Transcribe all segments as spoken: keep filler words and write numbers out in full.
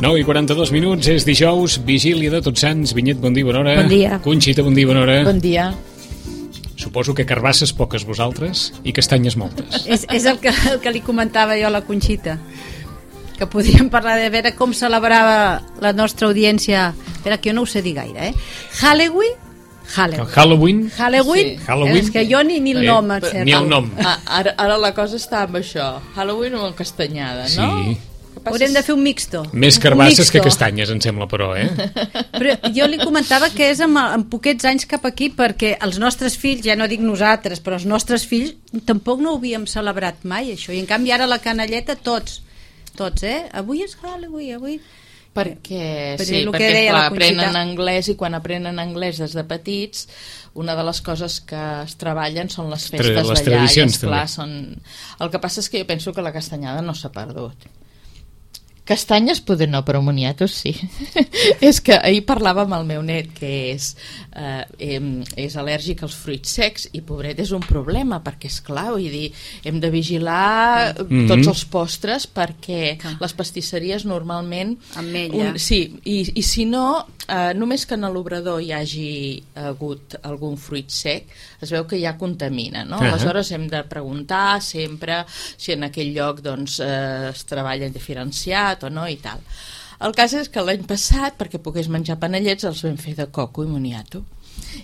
nou i quaranta-dos minuts, és dijous, vigília de Tots Sants. Vinyet, bon dia, bona hora. Bon dia. Conxita, bon dia, bona hora. Bon dia. Suposo que carbasses poques vosaltres i castanyes moltes. És, és el, que, el que li comentava jo a la Conxita, que podríem parlar de veure com celebrava la nostra audiència. Espera, que jo no ho sé dir gaire, eh? Halloween? Halloween. Halloween? Halloween? Sí. Halloween? És que jo ni, ni el nom et sé. Ni el nom. Ah, ara, ara la cosa està amb això. Halloween o amb castanyada, no? Sí. Haurem de fer un mixto. Més Un carbasses mixto. que castanyes, em sembla, però, eh? Però jo li comentava que és amb, amb poquets anys cap aquí, perquè els nostres fills, ja no dic nosaltres, però els nostres fills tampoc no ho havíem celebrat mai, això. I en canvi ara la canalleta tots, tots, eh? Avui és Halloween, avui... Perquè, Per sí, el que perquè deia clar, la Conxita. aprenen anglès i quan aprenen anglès des de petits una de les coses que es treballen són les festes Les d'allà i tradicions, esclar, també. són... El que passa és que jo penso que la castanyada no s'ha perdut. Castanyes poder no, però moniatos sí. És que ahir parlava amb el meu net que és, eh, és al·lèrgic als fruits secs i pobret és un problema perquè és clar, vull dir, hem de vigilar Mm-hmm. tots els postres perquè les pastisseries normalment Ametlla. un, sí, i, i si no eh, només que en l'obrador hi hagi hagut algun fruit sec es veu que ja contamina, no? Uh-huh. Aleshores hem de preguntar sempre si en aquell lloc doncs, eh, es treballa diferenciat o no i tal. El cas és que l'any passat, perquè pogués menjar panellets, els vam fer de coco i moniato.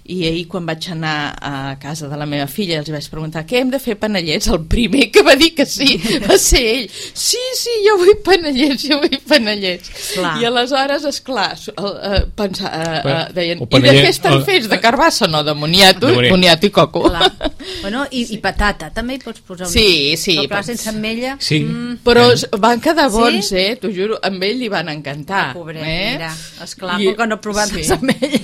I ahir quan vaig anar a casa de la meva filla els vaig preguntar què hem de fer panellets, el primer que va dir que sí va ser ell, sí, sí, jo vull panellets, jo vull panellets. Clar. I aleshores, esclar, uh, pensar, uh, uh, deien, O i de panellet- què estan o- fets? De carbassa, no, de moniato, De moniato. moniato i coco. Clar. Bueno, i, i patata, també hi pots posar un... Sí, sí, Però clar, pots- sense ametlla... Sí. Mm, Però van quedar bons, Sí? eh? T'ho juro, amb ell li van encantar. pobret, eh? mira, esclar, I- I... que no provar sí. les ametlles.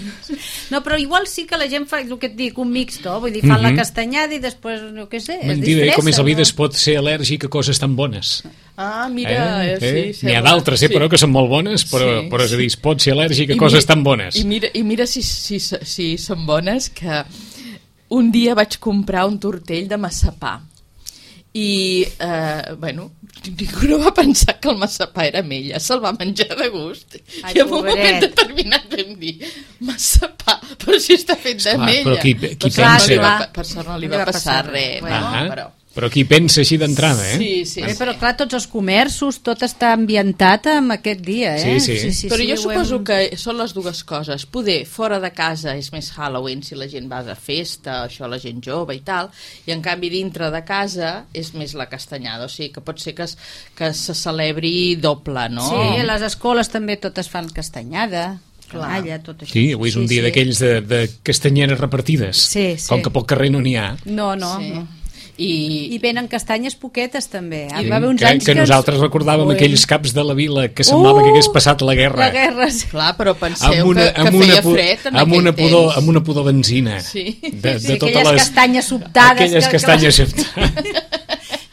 No, però igual sí que la gent fa el que et dic, un mixto, vull dir, fan Mhm. la castanyada i després, no què sé, es Mentida, eh? disfressa. Com és la vida, no? es pot ser al·lèrgic a coses tan bones. Ah, mira, Eh? eh? sí, Eh? N'hi ha sembla- d'altres, eh? sí. Però que són molt bones, però, Sí, però és a dir, es pot ser al·lèrgic a I coses mira- tan bones. I mira, i mira si, si, si són bones, que un dia vaig comprar un tortell de massapà. I, eh, bueno, ningú no va pensar que el massapà era ametlla, se'l va menjar de gust. Ai, I en un pobret. moment determinat vam dir, massapà, però si està fet d'ametlla. però qui- qui per sort no pensa- li va, Clar. per sort no li No va li va passar passar res, res. no, Ah, però... però qui pensa així d'entrada, eh? Sí, sí, Bé, sí. però clar, tots els comerços, tot està ambientat amb aquest dia, eh? Sí, sí. sí Però jo ho suposo hem- que són les dues coses. Poder, fora de casa és més Halloween si la gent va de festa, això la gent jove i tal, i en canvi dintre de casa és més la castanyada, o sigui que pot ser que, es, que se celebri doble, no? Sí, a les escoles també totes fan castanyada, Clar. canalla, tot això. Sí, avui és un dia d'aquells de, de castanyeres repartides. Sí, sí. Com que pel carrer no n'hi ha. No, no, Sí. no. I, I venen castanyes poquetes també. Hi Sí, va haver uns que, anys que que... nosaltres recordàvem Ui. aquells caps de la vila que semblava Uh, que hagués passat la guerra. La guerra, sí. clar, però penseu amb una, que, que amb una, feia pu- fred en amb aquell una pudor, temps. amb una pudor benzina. Sí. De, Sí, de totes aquelles les... castanyes sobtades. Aquelles que- castanyes que... sobtades.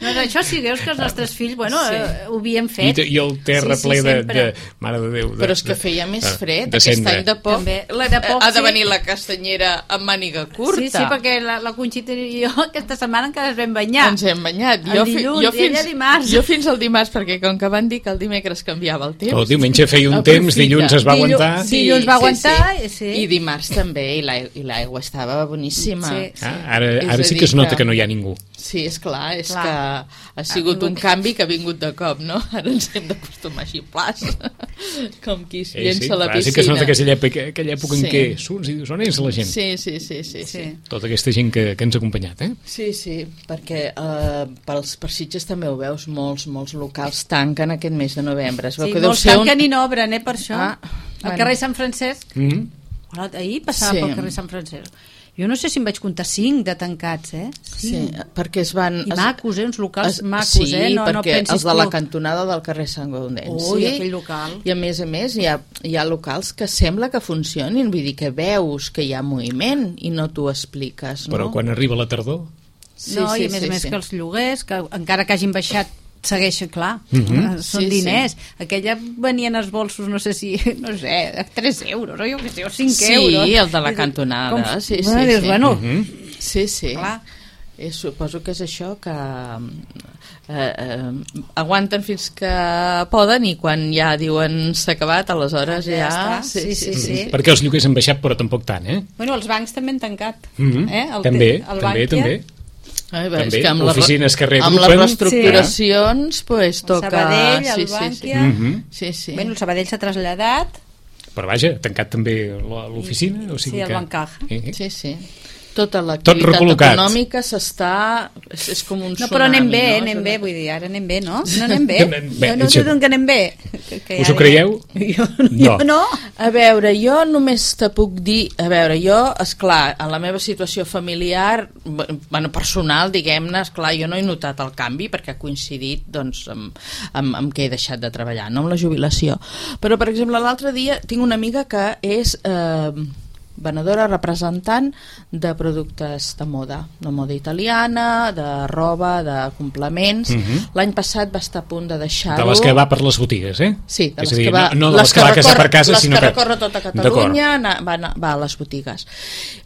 No, no, això sí, veus que els nostres fills, bueno, Sí. eh, ho havien I, fet. I el terra Sí, sí, ple de, sempre. de... Mare de Déu. De, Però és que de- feia més de- fred, de aquest cendra. any de poc, També. la, De poc, ha de sí. venir la castanyera amb màniga curta. Sí, sí, perquè la, la Conxita i jo aquesta setmana encara ens vam banyar. Ens hem banyat. El Jo, fi- dilluns jo, i ella fins, dimarts. jo fins al dimarts, perquè com que van dir que el dimecres canviava el temps... El diumenge feia un aprofita. temps, dilluns es va Dillu- aguantar. sí. Dilluns va aguantar, i sí. I dimarts també, i l'aigua, i l'aigua estava boníssima. Sí. Ah, ara És ara a sí dir que es nota que- que no hi ha ningú. Sí, és clar, és Clar. que ha sigut Ah, un canvi que ha vingut de cop, no? Ara ens hem d'acostumar així, plas, com qui es Sí, llença sí, a la clar, piscina. sí que es nota aquella època, aquella època Sí. en què surts i dius, on és la gent? Sí, sí, sí, sí, sí. Sí. Tota aquesta gent que, que ens ha acompanyat, eh? Sí, sí, perquè eh, pels per Sitges també ho veus, molts, molts locals tanquen aquest mes de novembre. Es veu Sí, que deu molts ser un... tanquen i no obren, eh, per això. Ah, Al bueno. carrer Sant Francesc, Mm -hmm. bueno, ahir passava Sí. pel carrer Sant Francesc. Jo no sé si em vaig comptar cinc de tancats, eh? Sí, perquè es van... I es- macos, eh? Uns locals es- macos, sí, eh? No, no perquè pensis els de la tu. cantonada del carrer Sant Gaudenci. Ui, aquell local. I a més a més hi ha, hi ha locals que sembla que funcionin, vull dir que veus que hi ha moviment i no t'ho expliques, no? Però quan arriba la tardor... Sí, No, sí, i a més sí, a més sí. que els lloguers, que encara que hagin baixat segueixen, clar, Mhm. són Sí, sí. diners. Aquella venien els bolsos, no sé si, no sé, a tres euros, o jo què sé, o cinc Sí, euros. el de la I dius, cantonada, sí, bueno, sí, dius, sí. bueno, Mhm. Sí, sí. clar. Eh, suposo que és això, que eh, eh, aguanten fins que poden i quan ja diuen s'ha acabat, aleshores ja... ja està. Sí, sí, sí. Mm, perquè els lloguers han baixat, però tampoc tant, eh? Bueno, els bancs també han tancat. Mm-hmm. eh? el, també, el també, Bankia, també. Ai, bé, També, és que amb oficines que amb les reagrupen. reestructuracions sí. pues, el toca... Sabadell, el sí, sí, Bankia... sí. Mm-hmm. Sí, sí. Bueno, el Sabadell s'ha traslladat. Però vaja, tancat també l'oficina, o sigui sí, el que... Bancaja. Eh, eh. Sí, sí. Tota l'activitat recol·locat. econòmica s'està... És, és com un No, tsunami. però anem bé, no? anem bé, vull dir, ara anem bé, no? No anem bé. Anem bé, no, no això- sé d'on que anem bé. Que, que Us ho ara- creieu? Jo, No. jo no. A veure, jo només te puc dir... A veure, jo, esclar, en la meva situació familiar, bueno, personal, diguem-ne, esclar, jo no he notat el canvi perquè ha coincidit, doncs, amb, amb, amb què he deixat de treballar, no amb la jubilació. Però, per exemple, l'altre dia tinc una amiga que és... Eh, venedora representant de productes de moda, de moda italiana, de roba, de complements. Mhm. L'any passat va estar a punt de deixar-ho. De les que va per les botigues, eh? Sí, de és les a dir, que va, no, no de les que, va a casa per casa, les sinó que que... recorre tota Catalunya, anar, va, anar, va a les botigues.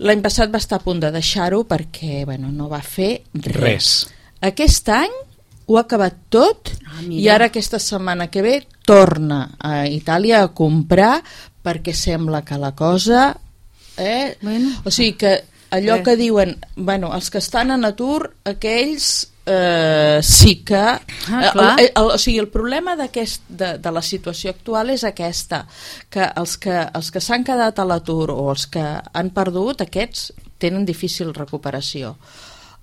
L'any passat va estar a punt de deixar-ho perquè bueno, no va fer res. Res. Aquest any ho ha acabat tot Ah, mira. i ara aquesta setmana que ve torna a Itàlia a comprar perquè sembla que la cosa... Eh? Bueno. O sigui que allò Res. que diuen, bueno, els que estan en atur, aquells eh, sí que... Ah, el, clar. el, el, o sigui, el problema d'aquest, de, de la situació actual és aquesta, que els que, els que s'han quedat a l'atur o els que han perdut, aquests tenen difícil recuperació.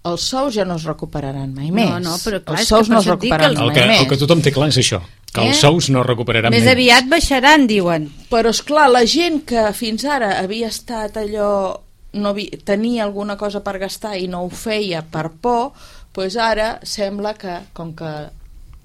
Els sous ja no es recuperaran mai més. No, no, però clar, els és que sous per no es això et dic que recuperaran el- El mai que, més. el que tothom té clar és això, que Eh? els sous no recuperaran Més aviat baixaran, diuen. Però, és clar, la gent que fins ara havia estat allò... No havia, tenia alguna cosa per gastar i no ho feia per por, doncs ara sembla que, com que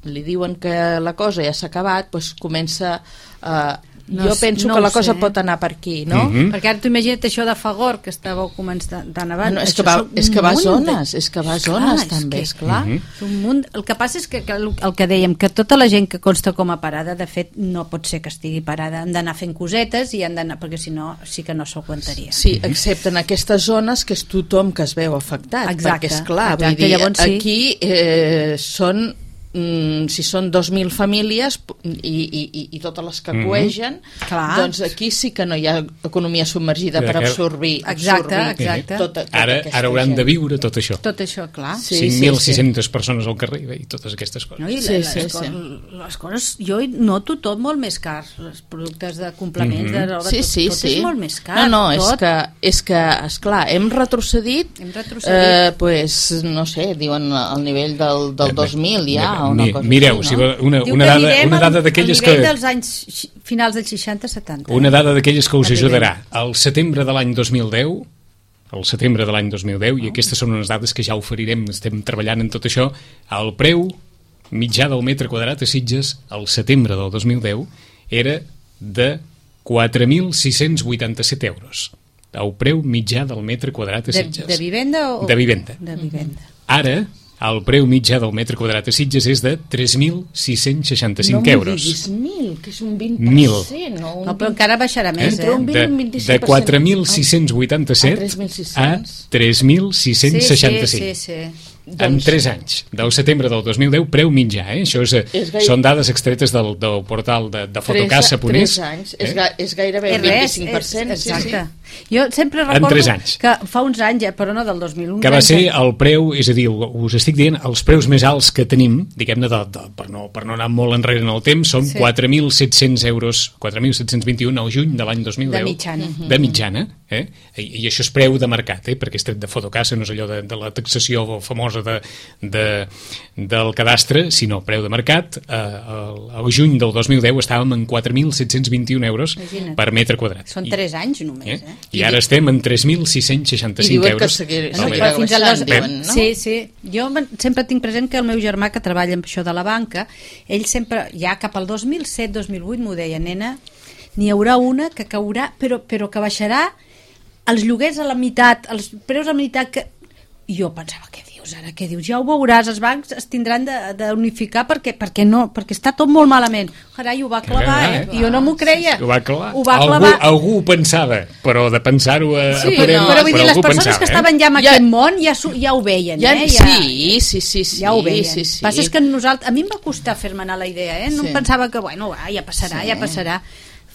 li diuen que la cosa ja s'ha acabat, doncs comença... Eh, No jo s- penso no que ho la cosa sé. pot anar per aquí, no? Mhm. Perquè ara tu imagina't això de Fagor, que estàveu començant tan abans. No, és, Això que va, són és que va a un munt de- zones, és que va a Esclar, zones és també, que- esclar. Mhm. És un munt. El que passa és que, que el, el que dèiem, que tota la gent que consta com a parada, de fet, no pot ser que estigui parada. Han d'anar fent cosetes i han d'anar, perquè si no, sí que no s'aguantaria. Sí, excepte en aquestes zones que és tothom que es veu afectat. Exacte, perquè, esclar, exacte, vull dir, llavors sí. aquí eh, són mm, si són dos mil famílies i, i, i, i totes les que Mhm. coegen, Clar. doncs aquí sí que no hi ha economia submergida Sí, per que- absorbir, Exacte, absorbir exacte. Tota, tota Ara, aquesta ara hauran gent. de viure tot això. Tot això, clar. Sí, cinc mil sis-centes persones al carrer i totes aquestes coses. No? I Sí, les, sí, les, sí. coses, les coses, jo noto tot molt més car, els productes de complements, Mhm. de roba, Sí, tot, sí, tot sí. és molt més car. No, no, és tot. que, és que, esclar, hem retrocedit, Hem retrocedit. eh, pues, no sé, diuen al nivell del, del dos mil ja, o una Mi- cosa Mireu, així, si no? va- una, Diu una que dada, anirem una dada al- d'aquelles al nivell que... dels anys xi- finals dels seixanta setanta. Una dada d'aquelles que us Arribem. ajudarà. Al setembre de l'any dos mil deu, al setembre de l'any dos mil deu, i aquestes són unes dades que ja oferirem, estem treballant en tot això, el preu mitjà del metre quadrat a Sitges al setembre del dos mil deu era de quatre mil sis-cents vuitanta-set euros. El preu mitjà del metre quadrat a de, Sitges. de vivenda o... De vivenda. De vivenda. Ara, el preu mitjà del metre quadrat a Sitges és de tres mil sis-cents seixanta-cinc no euros. No m'ho diguis mil, que és un vint per cent. Mil. No, un No, però vint... encara baixarà més, Entre eh? un vint De, i un vint-i-cinc de per cent. quatre mil sis-cents vuitanta-set A tres mil sis-cents. a tres mil sis-cents seixanta-cinc. Sí, sí, sí, sí. En Doncs- tres anys, del setembre del dos mil deu, preu mitjà, eh? Això és, eh, És gaire- són dades extretes del, del portal de, de Fotocasa Tres, Ponés. tres anys, eh? és, ga, és gairebé És el res, vint-i-cinc per cent. és, exacte. Sí, sí. Jo sempre En recordo tres anys. que fa uns anys, ja, però no del dos mil un, Que va anys, ser el preu, és a dir, us estic dient, els preus més alts que tenim, diguem-ne, de, de, per, no, per no anar molt enrere en el temps, són Sí. quatre mil set-cents euros, quatre mil set-cents vint-i-un al juny de l'any dos mil deu. De mitjana. De mitjana, eh? I, I això és preu de mercat, eh? Perquè és tret de Fotocasa, no és allò de, de la taxació famosa de, de, del cadastre, sinó preu de mercat. Eh, el, el juny del dos mil deu estàvem en quatre mil set-cents vint-i-un euros Imagina't. per metre quadrat. Són I- tres anys només, Eh? eh? I ara estem en tres mil sis-cents seixanta-cinc I diuen que euros. seguir- al seguirà metre. Fins al dos... baixant, diuen, no? Sí, sí. Jo men- sempre tinc present que el meu germà, que treballa amb això de la banca, ell sempre, ja cap al dos mil set dos mil vuit, m'ho deia, nena, n'hi haurà una que caurà, però, però que baixarà els lloguers a la meitat, els preus a la meitat, que... I jo pensava, què dius? pues ara què dius? Ja ho veuràs, els bancs es tindran d'unificar perquè, perquè, no, perquè està tot molt malament. Carai, ho va clavar, eh? I jo no m'ho creia. Ho va clavar. Ho va algú, clavar. Algú ho pensava, però de pensar-ho a, Sí, a parem, no, però vull dir, les algú persones pensava, que estaven ja en Ja- aquest món ja, su- ja ho veien, Ja, eh? Ja, sí, sí, sí, sí. ja ho veien. Sí, sí. Passa és que nosaltres, a mi em va costar fer-me anar la idea, eh? No Sí. em pensava que, bueno, va, ja passarà, Sí. ja passarà.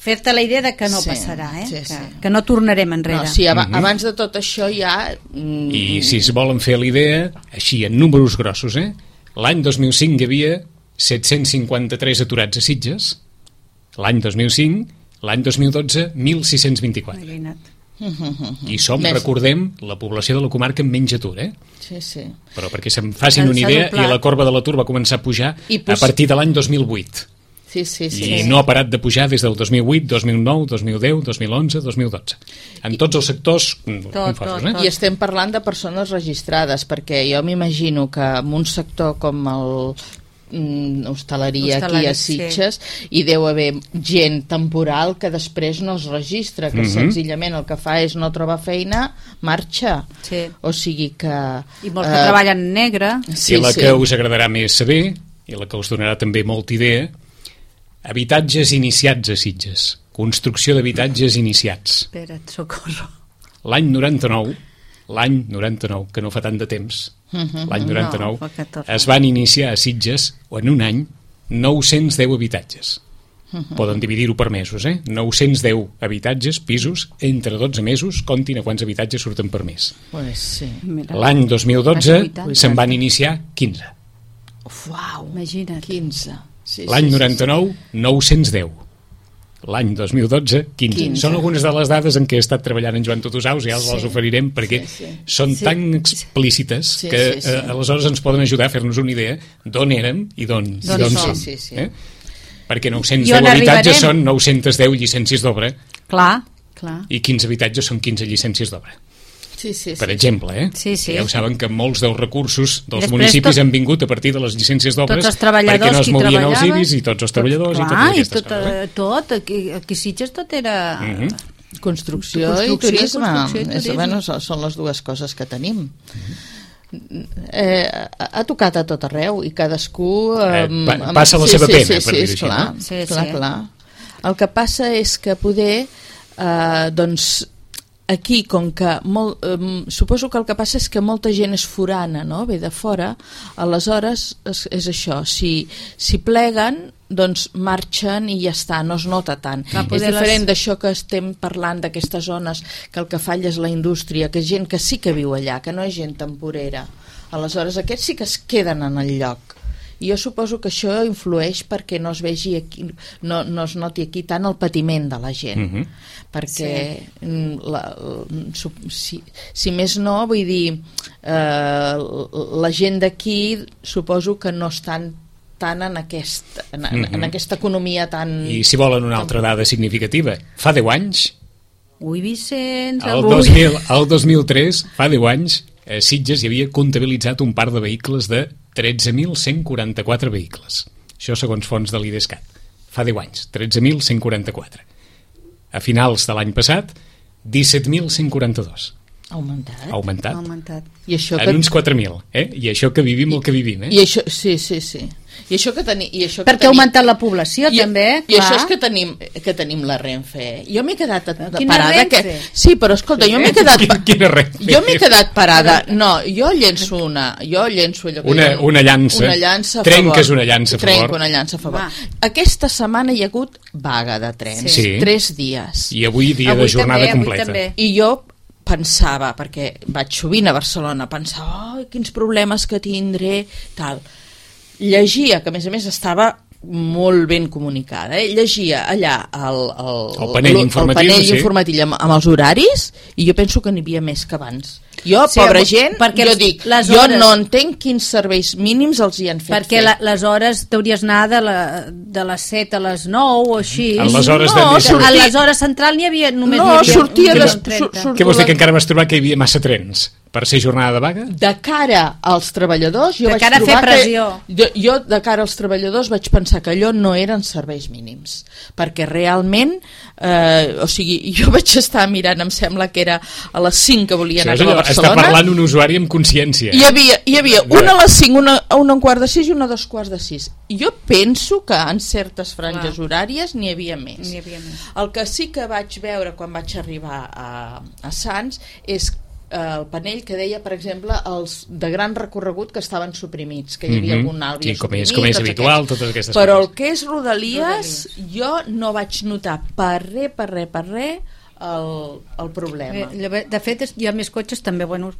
Fer-te la idea de que no Sí, passarà, eh? sí, que, sí. que no tornarem enrere. No, sí, ab Mhm. abans de tot això ja... mm, I si es volen fer l'idea, així, en números grossos, eh? L'any dos mil cinc hi havia set-cents cinquanta-tres aturats a Sitges, l'any dos mil cinc, l'any dos mil dotze, mil sis-cents vint-i-quatre. Imagina't. I som, Més. recordem, la població de la comarca amb menys atur, eh? Sí, sí. Però perquè se'n facin S'ha- una s'ha idea, doblat. i la corba de l'atur va començar a pujar I a pos- partir de l'any dos mil vuit. Sí, sí, sí. I no ha parat de pujar des del dos mil vuit, dos mil nou, dos mil deu, dos mil onze, dos mil dotze. En tots els sectors Tot, confosos, tot, eh? I estem parlant de persones registrades, perquè jo m'imagino que en un sector com el mm, hostaleria aquí Hostalari, a Sitges hi deu haver gent temporal que després no es registra, que Mhm. senzillament el que fa és no trobar feina, marxa. Sí. O sigui que... I molts que eh, treballen en negre. Sí, I la sí. que us agradarà més saber, i la que us donarà també molta idea, habitatges iniciats a Sitges. Construcció d'habitatges iniciats. Espera't, socorro. L'any noranta-nou, l'any noranta-nou, que no fa tant de temps, l'any noranta-nou, No, fa catorze. es van iniciar a Sitges, o en un any, nou-cents deu habitatges. Poden dividir-ho per mesos, eh? nou-cents deu habitatges, pisos, entre dotze mesos, comptin a quants habitatges surten per mes. Pues sí. Mira. L'any dos mil dotze vuitanta. se'n van iniciar quinze. Uau, Imagina't. quinze. Sí, L'any sí, noranta-nou, nou-cents deu. L'any dos mil dotze, quinze. quinze. Són algunes de les dades en què he estat treballant en Joan Totosaus i ja els Sí. les oferirem perquè Sí, sí. són Sí. tan explícites Sí, que sí, sí. Eh, aleshores ens poden ajudar a fer-nos una idea d'on érem i d'on i D'on d'on som. som. Sí, sí, sí. Eh? Perquè nou-cents I deu on habitatges arribarem? són nou-cents deu llicències d'obra Clar, clar. i quinze habitatges són quinze llicències d'obra. Sí, sí, sí. Per exemple, eh? Sí, sí. Ja ho saben que molts dels recursos dels Després municipis tot- han vingut a partir de les llicències d'obres Tots els treballadors perquè no es que hi movien els treballaven. I B I S i tots els treballadors Clar, i totes aquestes tot, coses. Eh? eh, tot, aquí, aquí a Sitges tot era... Mhm. Construcció, Construcció, i turisme, construcció i És, turisme. bueno, són, són les dues coses que tenim. Eh, ha ha tocat a tot arreu i cadascú Eh, eh, pa- amb- passa la sí, seva sí, pena, sí, per sí, dir-ho és així, clar, no? Sí, clar, sí. clar. El que passa és que poder eh, doncs aquí, com que molt, eh, suposo que el que passa és que molta gent és forana, no? Ve de fora, aleshores és, és això, si, si pleguen doncs marxen i ja està, no es nota tant. Va És poder diferent les- d'això que estem parlant d'aquestes zones que el que falla és la indústria, que és gent que sí que viu allà, que no és gent temporera. Aleshores aquests sí que es queden en el lloc. I jo suposo que això influeix perquè no es vegi aquí, no, no es noti aquí tant el patiment de la gent. Mhm. Perquè mm, la, la, su- si, si més no, vull dir, eh, la gent d'aquí suposo que no estan tant en, aquest, en, en, en Mhm. aquesta economia tan... I si volen una altra dada significativa, fa deu anys, Ui, Vicenç, el avui... dos mil, el dos mil tres, fa deu anys, a Sitges hi havia comptabilitzat un parc de vehicles de tretze mil cent quaranta-quatre vehicles. Això segons fons de l'IDESCAT. Fa deu anys, tretze mil cent quaranta-quatre. A finals de l'any passat, disset mil cent quaranta-dos. Ha augmentat. Ha augmentat. Ha augmentat. I això En que... uns quatre mil, eh? I això que vivim el que vivim, eh? I això, sí, sí, sí. I això que tenim... I això que Perquè ha tenim... augmentat la població, I, també, I clar. això és que tenim, que tenim la Renfe. eh? Jo m'he quedat a- Quina parada... Renfe? Que... Sí, però escolta, jo m'he quedat... Quina, quina Renfe? Jo m'he quedat parada. No, jo llenço una... Jo llenço allò que Una- diuen, una llança. Una llança a Trenques favor. una llança a favor. Trenco una llança a favor. Va. Aquesta setmana hi ha hagut vaga de trens. Sí. Tres dies. I avui dia Avui de jornada també, avui completa. també. I jo pensava, perquè vaig sovint a Barcelona, pensava, oh, quins problemes que tindré, tal. Llegia, que a més a més estava molt ben comunicada, eh? Llegia allà el, el, El panell informatiu, el panell sí. informatiu amb, amb els horaris i jo penso que n'hi havia més que abans. Jo, Sí, pobra però- gent, perquè jo els- dic, les jo hores- no entenc quins serveis mínims els hi han fet Perquè fer. la, les hores t'hauries anar de, la, de les set a les nou o així. En les hores No, de més... sortir- A les hores central n'hi havia només No, n'hi havia sortia un de- milió trenta. sur- sur- Què vols dir, que encara vas trobar que hi havia massa trens? Per ser jornada de vaga? De cara als treballadors, jo de vaig cara a fer trobar pressió. que... Jo, jo, de cara als treballadors, vaig pensar que allò no eren serveis mínims, perquè realment, eh, o sigui, jo vaig estar mirant, em sembla que era a les cinc que volia anar Això és a allò, Barcelona. està parlant un usuari amb consciència. Hi havia, hi havia una a les cinc, una a un quart de sis i una a dos quarts de sis. I jo penso que en certes franges Clar. horàries n'hi havia més. N'hi havia més. El que sí que vaig veure quan vaig arribar a, a Sants és el panell que deia, per exemple, els de gran recorregut que estaven suprimits, que hi havia Mhm. algun alt havia Sí, com és- suprimit, com és tots habitual, aquests. totes aquestes Però coses. el que és Rodalies, jo no vaig notar per res, per res, per res el, el problema. Eh, De fet, és- hi ha més cotxes també, bueno,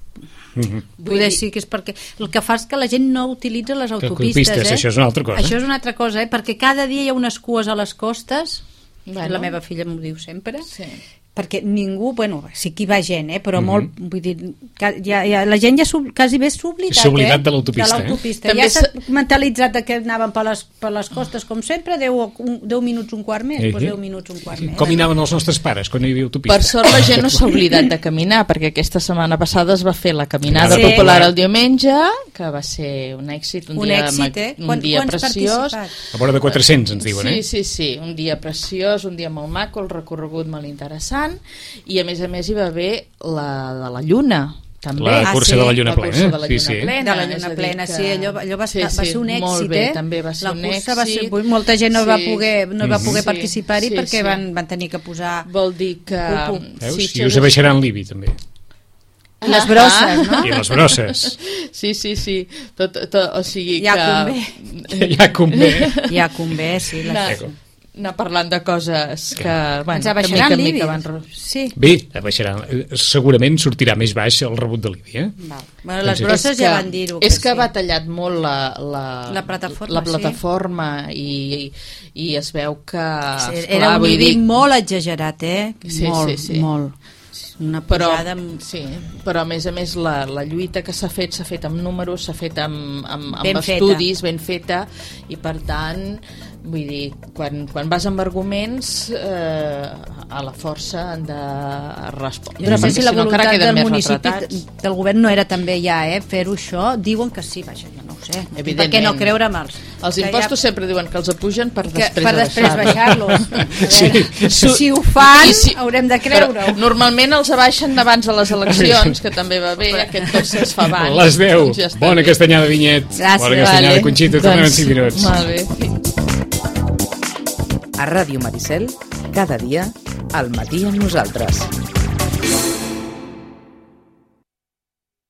Mhm. poder sí que és perquè el que fa és que la gent no utilitza les autopistes, autopistes, eh? això és una altra cosa. Això és una altra cosa, eh? Perquè cada dia hi ha unes cues a les costes, Bueno. la meva filla m'ho diu sempre, Sí. perquè ningú, bueno, sí que hi va gent, eh? Però Mhm. molt, vull dir, ca- ja, ja, la gent ja sub, quasi bé s'ha oblidat, S'ha oblidat eh? de l'autopista, de eh? l'autopista. També Ja s'ha s'ha- mentalitzat de que anaven per les, per les costes com sempre, deu, un, deu minuts un quart més, Eh, doncs eh. deu minuts un quart més. Com hi anaven els nostres pares quan no hi havia autopista? Per sort la gent no s'ha oblidat de caminar, perquè aquesta setmana passada es va fer la caminada Sí. popular el diumenge, que va ser un èxit, un, Un dia, èxit, eh? un Quan- dia quants preciós. participat? A vora de quatre-cents ens diuen, sí, eh? Sí, sí, un dia preciós, un dia molt maco, el recorregut molt interessant, i a més a més hi va haver la de la Lluna, també. La Ah, cursa sí? de la Lluna La cursa plena. de la sí, Lluna sí. plena. De la és a Lluna dir plena, que- sí, allò, allò va, Sí, estar, va sí, ser un èxit, molt bé, eh? també va ser la un cursa va ser, èxit. molta gent no Sí. va poder, no va poder Sí, participar-hi sí, perquè sí. van, van tenir que posar Vol dir que... Cupo. Veus? Sitges I us abaixaran l'I B I també. les brosses, no? I les brosses. Sí, sí, sí. Tot, tot, o sigui Ja que... Ja convé. Ja convé, sí. Les... Anar, anar parlant de coses que, bueno, Ens abaixaran que mica en l'I B I. mica van... ro- Sí. Bé, abaixaran. Eh, Segurament sortirà més baix el rebut de l'I B I, eh? Val. Bueno, les Doncs sí. brosses És ja que- van dir-ho. És que sí. ha batallat molt la, la, La plataforma, la sí. plataforma i, i es veu que... Sí, esclar, era un vull I B I dir, molt exagerat, eh? Sí, molt, sí, sí. molt. Una però, posada amb... sí, però a més a més la, la lluita que s'ha fet s'ha fet amb números, s'ha fet amb, amb, Ben amb feta. estudis, ben feta, i per tant, vull dir, quan, quan vas amb arguments, eh, a la força han de respondre. Jo no sé perquè si la no encara voluntat queden del més municipi, retratats. del govern no era també ja, eh, fer-ho això. Diuen que sí, vaja, jo no ho sé. Per Evidentment. què no creure amb els? Els impostos ja... sempre diuen que els apugen per que, després, per després baixar-los. Sí. Si, si ho fan, I si- haurem de Però creure-ho. normalment els abaixen abans de les eleccions, que també va bé, aquest cos es fa abans. Les deu. Doncs ja està Bona bé. castanyada, Vinyet. Gràcies. Bona castanyada, Vale. Conxita. Tornem en Doncs, cinc minuts. Molt bé, fins. A Ràdio Maricel, cada dia, al matí amb nosaltres.